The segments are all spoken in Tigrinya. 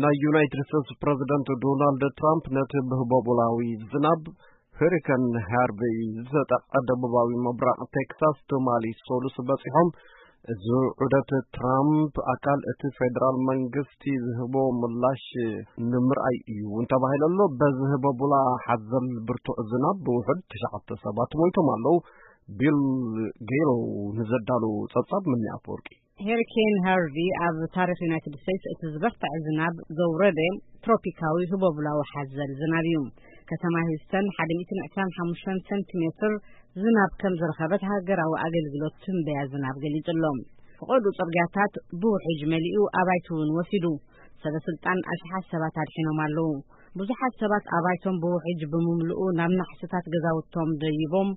ናይ ዩናይትድ ስቴትስ ፕረዚደንት ዶናልድ ትራምፕ ነቲ ብህቦቡላዊ ዝናብ ሄሪከን ሃርቨይ ዝተጠቕዐ ደቡባዊ ምብራቕ ቴክሳስ ትማሊ ሰሉስ በጺሖም። እዚ ዑደት ትራምፕ ኣካል እቲ ፌደራል መንግስቲ ዝህቦ ምላሽ ንምርኣይ እዩ እውን ተባሂሉ ኣሎ። በዚ ህቦቡላ ሓዘል ብርቱዕ ዝናብ ብውሑድ ትሽዓተ ሰባት ሞይቶም ኣለዉ። ቢል ጌሎ ንዘዳሉ ጸብጻብ ምኒ ኣፈወርቂ። ሄሪኬን ሃርቪ ኣብ ታሪኽ ዩናይትድ ስቴትስ እቲ ዝበርትዐ ዝናብ ዘውረደ ትሮፒካዊ ህቦቡላዊ ሓዘል ዝናብ እዩ። ከተማ ሂውስተን ሓደ ሚእትን ዕስራን ሓሙሽተን ሰንቲሜትር ዝናብ ከም ዝረኸበት ሃገራዊ ኣገልግሎት ትንበያ ዝናብ ገሊጹ ኣሎ። ፈቐዱ ጽርግያታት ብውሕጅ መሊኡ ኣባይቲ እውን ወሲዱ። ሰበ ስልጣን ኣሽሓት ሰባት ኣድሒኖም ኣለዉ። ብዙሓት ሰባት ኣባይቶም ብውሕጅ ብምምልኡ ናብ ናሕስታት ገዛውቶም ደይቦም፣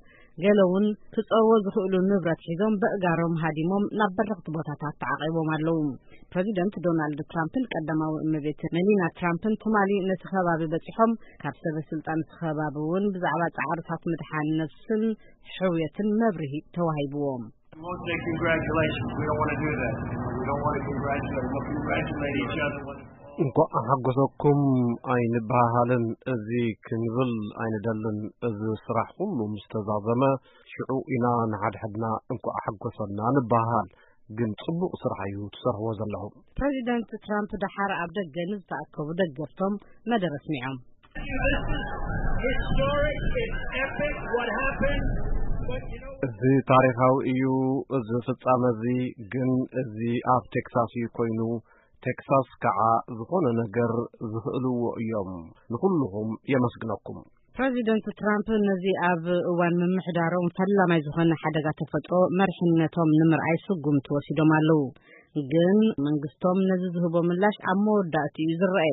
ገለ እውን ክጸርዎ ዝኽእሉ ንብረት ሒዞም በእጋሮም ሃዲሞም ናብ በረኽቲ ቦታታት ተዓቒቦም ኣለዉ። ፕረዚደንት ዶናልድ ትራምፕን ቀዳማዊ እመቤት መሊና ትራምፕን ትማሊ ነቲ ከባቢ በጺሖም፣ ካብ ሰበ ስልጣን እቲ ከባቢ እውን ብዛዕባ ጻዕርታት ምድሓን ነፍስን ሕውየትን መብርሂ ተዋሂብዎም። Won't say congratulations. We don't want to do that. We don't want to congratulate. We'll congratulate each other when it's all እንኳዕ ሓጎሰኩም ኣይንበሃሃልን፣ እዚ ክንብል ኣይንደልን። እዚ ስራሕ ኩሉ ምስ ተዛዘመ ሽዑ ኢና ንሓድሕድና እንኳዕ ሓጎሰና ንበሃሃል። ግን ጽቡቕ ስራሕ እዩ ትሰርሕዎ ዘለኹም። ፕረዚደንት ትራምፕ ደሓር ኣብ ደገ ንዝተኣከቡ ደገፍቶም መደረ ኣስሚዖም። Historic, it's epic what happened, but you know what? እዚ ታሪኻዊ እዩ፣ እዚ ፍጻመ እዚ። ግን እዚ ኣብ ቴክሳስ እዩ ኮይኑ። ቴክሳስ ከዓ ዝኾነ ነገር ዝኽእልዎ እዮም። ንኹልኹም የመስግነኩም። ፕረዚደንት ትራምፕ ነዚ ኣብ እዋን ምምሕዳሮም ፈላማይ ዝኾነ ሓደጋ ተፈጥሮ መሪሕነቶም ንምርኣይ ስጉምቲ ወሲዶም ኣለዉ። ግን መንግስቶም ነዚ ዝህቦ ምላሽ ኣብ መወዳእቲ እዩ ዝረአ።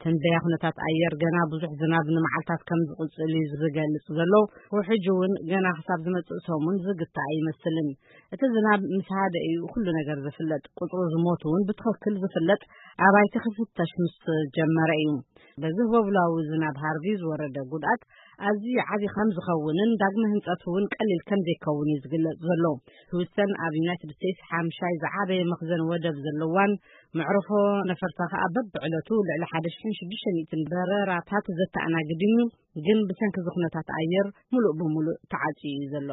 ትንበያ ኩነታት ኣየር ገና ብዙሕ ዝናብ ንመዓልታት ከም ዝቕጽል እዩ ዝገልጽ ዘሎ። ውሕጅ እውን ገና ክሳብ ዝመጽእ ሰሙን ዝግታእ ኣይመስልን። እቲ ዝናብ ምስ ሃደ እዩ ኩሉ ነገር ዝፍለጥ። ቁጽሩ ዝሞቱ እውን ብትኽክል ዝፍለጥ ኣባይቲ ክፍተሽ ምስ ጀመረ እዩ። በዚ ህቦብላዊ ዝናብ ሃርቪ ዝወረደ ጉድኣት ኣዝዩ ዓቢ ከም ዝኸውንን ዳግመ ህንጸት እውን ቀሊል ከም ዘይከውን እዩ ዝግለጽ ዘሎ። ህውስተን ኣብ ዩናይትድ ስቴትስ ሓምሻይ ዝዓበየ መኽዘን ወደብ ዘለዋን መዕርፎ ነፈርታ ከኣ በብዕለቱ ልዕሊ ሓደ ሽሕን ሽዱሽተ ሚእትን በረራታት ዘተኣናግድን እዩ። ግን ብሰንኪ እዚ ኩነታት ኣየር ሙሉእ ብሙሉእ ተዓጽዩ እዩ ዘሎ።